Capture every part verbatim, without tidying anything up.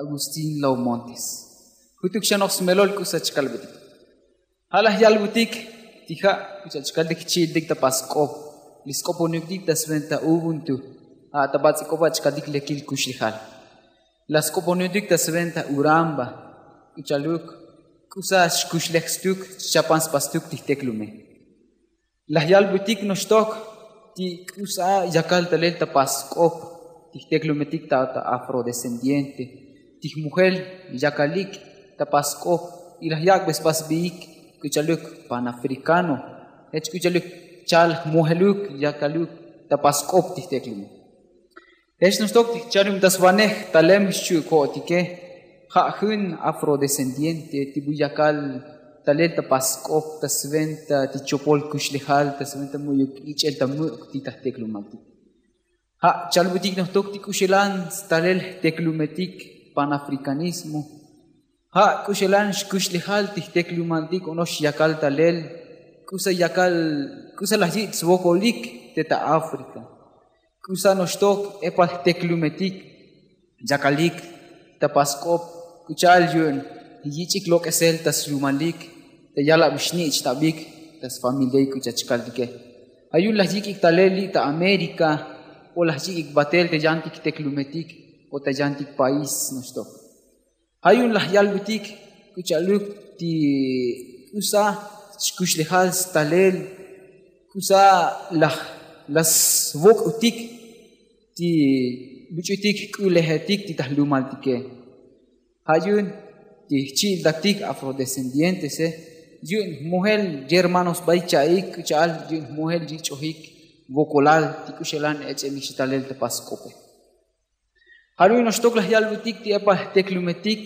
Agustín Laumontes. Jutuk xa noj smelol k'usa chkalbetik. Ja' laj yalbutik ti ja' k'ucha'al chkaltik chi'iltik ta pask'op. Li sk'oponutik ta sventa ubuntu. Ja' ta bats'ik'opa chkaltik lekil kuxlejal. La sk'oponutik ta sventa uramba. K'ucha'aluk k'usa xkuxlej stuk xchapan spas stuk ti jteklume. Laj yalbutik noxtok ti k'usa yakal talel ta pask'op ti jteklumetik ta afrodescendiente ti jmujel yakalik ta pask'op. Y laj yak'be spas sbiik k'ucha'aluk panafricano. Jech k'ucha'aluk chal jmujeluk yakaluk ta pask'op ti jteklume. Jech noxtok ti jchanub ta svanej talem xchu' ko'otike. Ja' jun afrodescendiente ti bu yakal talel ta pask'op ta sventa ti chopol kuxlejal ta sventa mu'yuk ich'el ta muk' ti ta jteklumaltik. Ja' chalbutik noxtok ti k'uxelan stalel jteklumetik panafricanismo. Ja' k'uxelan xkuxlejal ti jteklumaltik onox yakal talel k'usa yakal k'usa laj yich' svokolik te ta afrika. K'usa noxtok epal jteklumetik yakalik ta pask'op k'ucha'al yu'un yich'ik lok'esel ta slumalik ta yalab xnich'tabik ta sfamiliaik k'ucha' chkaltike. Ja' yu'un laj yik'ik talel li' ta amérika o laj yik'ik batel ta yantik jteklumetik o ta yantik país noxtok. Ja' yu'un laj yalbutik k'ucha'aluk ti k'usa xkuxlejal stalel k'usa laj la svok'utik ti buch'utik jk'ulejetik ti ta jlumaltike. Ja' yu'un ti jchi'iltatik afrodescendientese yu'un jmujel yermanosbaik cha'ik k'ucha'al yu'un jmujel yich'ojik vokolal ti k'uxelan ech'elik xtalel ta pask'ope. Ja' yu'un noxtok laj yalbutik ti epal jteklumetik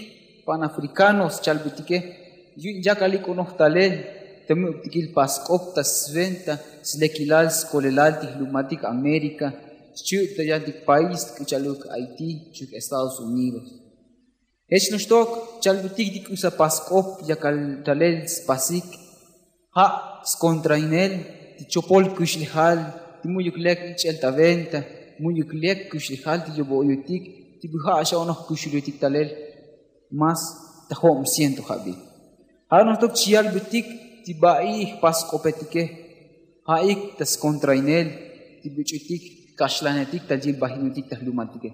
panafrikanos chalbutike yu'un yakalik onoj talel ta muk'tikil pask'op ta sventa slekilal skolelal ti jlumaltik amérika xchi'uk ta yantik país k'ucha'aluk haití xchi'uk estados unidos. Jech noxtok chalbutik ti k'usa pask'op yakal talel spasik ja' skontrainel ti chopol kuxlejal ti mu'yuk lek ich'el ta venta mu'yuk lek kuxlejal ti yobo' yutik ti bu ja' xa onoj kuxulutik talel mas ta jo'om ciento jab'il. Ja' noxtok chi yalbutik ti ba'i jpask'opetike ja'ik ta skontrainel ti buch'utik kaxlanetik ta yilbajinutik ta jlumaltike.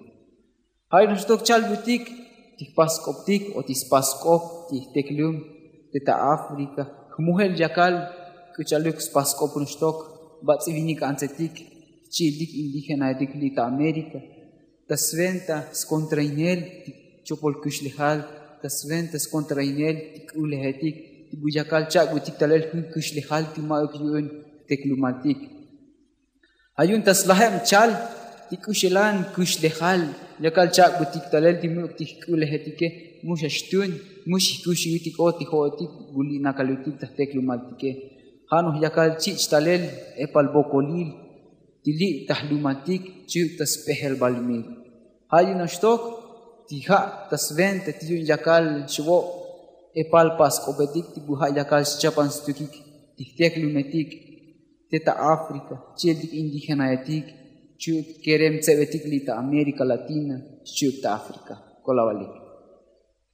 Ja'ik noxtok chalbutik ti jpask'optik o ti spask'op ti jteklum te ta afrika jmujel yakal k'ucha'aluk spask'op noxtok bats'ivinik antsetik jchi'iltik indigenaetik li' ta amérika ta sventa skontrainel ti chopol kuxlejal ta sventa skontrainel ti k'ulejetik ti bu yakal chak'butik talel jun kuxlejal ti ma'uk yu'un jteklumaltik. Ja' yu'un ta slajeb chal ti k'uxelan kuxlejal yakal chak'butik talel ti muk' ti jk'ulejetike mu xa xtun mu xijkuxuyutik o ti jo'otik bu li' nakalutik ta jteklumaltike. Ja' noj yakal chich' talel epal vokolil ti li' ta jlumaltik chi'uk ta sp'ejelbalmil. Ja' yu'un noxtok ti ja' ta sventa ti yu'un yakal xvo' epal pask'opetik ti bu ja' yakal xchapan stukik ti jteklumetik te ta afrika chi'iltik indigenaetik chi'uk kerem tsebetik li' ta amérika latina chi'uk ta afrika. Kolabalik.